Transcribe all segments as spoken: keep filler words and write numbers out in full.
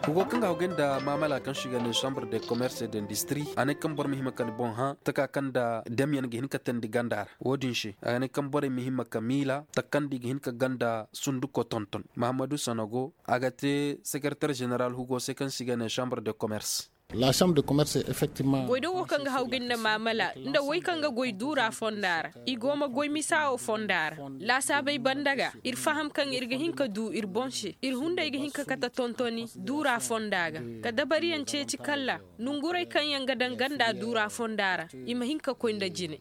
Hugo kaŋ ga hawgay nda maamala kaŋ se i ga ne chambre de commerce et d'industrie, a ne kaŋ boro ma hima ka ni boŋ hã taka kaŋ nda damyaŋ ga hin ka teendi ganda ra. Wo- din se a ga ne kaŋ borey ma hima ka miila taka kaŋ nda i ga hin ka ganda sunduko tonton. Mahammadu sanogo, a ga te sekereter zeneral hugo se kaŋ se i ga ne chambre de commerce. Goydogo kaŋ ga hawgay nda maamala nda way kaŋ ga goy duura fonda ra, i go ma goy misa wo fonda ra. Laasaabey banda ga, iri faham kaŋ iri ga hin ka du iri boŋ se. Iri hunday ga hin ka kate tontoni duura fonda ga, ka dabariyaŋ ceeci kalla nongurey kaŋ yaŋ ga daŋ ganda duura fonda ra, i ma hin ka koy nda jine.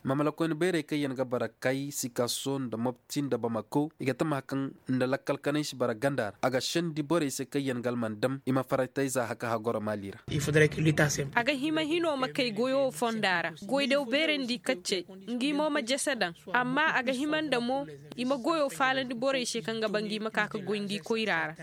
Maamala koyne bayray kaŋ yaŋ ga bara kay sikaso nda mopti nda bamako i ga tama kaŋ nda lakkal kanay si bara ganda ra a ga sendi borey se kaŋ yaŋ ga alman dam i ma faratayza haka hagoro maali ra. A ga hima hino ma kay goyo fonda ra, goydaw beerandi kaccey, ngi mo ma jese daŋ. Amma a ga hima nda mo i ma goyo faalandi borey se kaŋ ga ba ngi ma ka ga goy ngi koyra ra.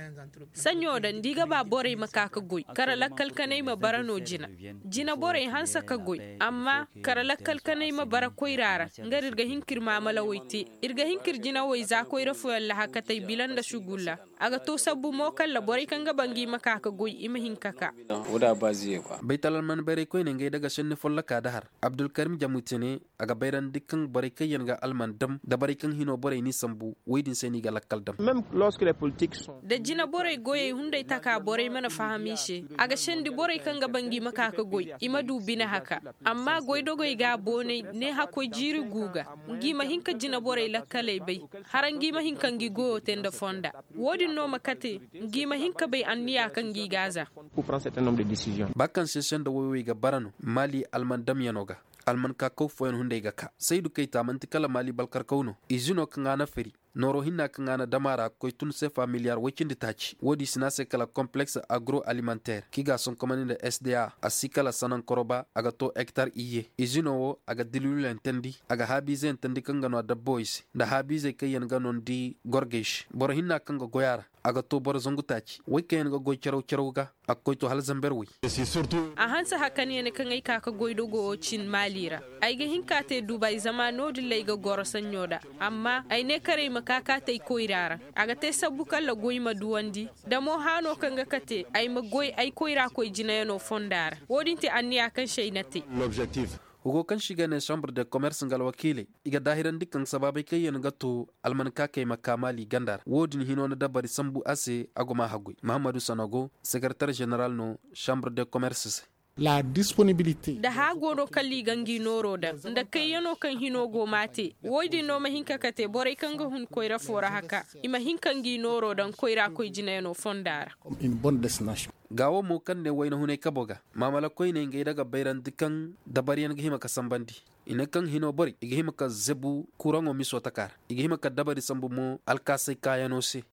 Saɲɲo da nda i ga ba borey ma ka ga goy kara lakkal kanay ma bara no jina. Jina borey hanse ka goy, amma kara lakkal kanay ma bara koyra ra. Nga da iri ga hin ka iri maamalawey te, iri ga hin ka iri jinawey za koyra fooyaŋ lahakatey bila nda sugulla. A ga to sabbu mo kala borey kaŋ ga ba ngi ma ka ga goy i ma hin ka ka. Baytal alman bayray koyne ngey daga senni folloka da har abdulkarim jamutene. A ga bayrandi kaŋ borey kaŋ yaŋ ga alman dam da borey kaŋ hino borey n'i sambu, wo- din se no i ga lakkal dam. Da jina borey goyey hunday taka borey mana faham i se, a ga sendi borey kaŋ ga ba ngi ma ka ga goy i ma du bine haka. Amma goydogey ga boonay ne hakkoy jiiri gu ga, ngi ma hin ka jina borey lakkaley bay, hara ngi ma hin ka ngi goyo te nda fonda. Wo- din no ma kate ngi ma hin ka bay anniya kaŋ ngi ga a za. Ba kaŋ se senda woy wo i ga bara no maali alman damyano ga. Alman ka kaw fooyaŋ hunday ga ka saydu kayta manti kala maali balkarkaw no. Izino kaŋ a na fari nooro hinna kaŋ a na dam a ra ga koy tun se familiyar way cindi taaci wo- din si no a se kala kompleks agro alimentaire kaŋ i ga a sonkomandi nda sda a si kala sanankoro ba a ga to hektar iyye. Izino wo a ga dilwiloyaŋ teendi, a ga haabiizeyaŋ teendi kaŋ ga no a dabbawey se nda haabiizey kaŋ yaŋ ga no ni di gorgey se boro hinna kaŋ ga goy a ra. A ga to boro zangu taaci way kaŋ yaŋ ga goy caraw caraw ga. A ga koy to hala zamber way. A hanse hakan ya ne kaŋ ay ka ga goy dogo wo cin maali ra. Ay ga hin ka te dubay zama no- din ra ay ga goro saɲɲo da. Amma ay ne karay ma ka ka te ay koyra ra. A ga te sabbu kala goy ma duwandi da mo haano kaŋ ga kate ay ma goy ay koyra koy jinayano fonda ra. Wo- din te anniya kaŋ se ay na te. Hugo kaŋ se i ga ne chambre de commerce nga alwakiiley, i ga daahirandi kaŋ sabaabey kaŋ yaŋ ga to almankaakey ma ka maali ganda ra wo- din hino na dabari sambu a se a go ma a haggoy. Mahammadu sanogo, sekeretar zeneral no chambre de commerce se. Nda haago no kala i ga ngi nooro daŋ nda kayyano kaŋ hino go ma a te. Wo- din no ma hin ka kate borey kaŋ ga hun koyra fo ra haka, i ma hin ka ngi nooro daŋ koyra koy jinayano fonda ra. Gaawo mo kaŋ ne wayna hunay kabo ga maamala koyne ngey daga bayrandi kaŋ dabaryaŋ ga hima ka sambandi. I ne kaŋ hino borey i ga hima ka zebu kuraŋo miso taka ra. I ga hima ka dabari sambu mo alkaasay kaayano se.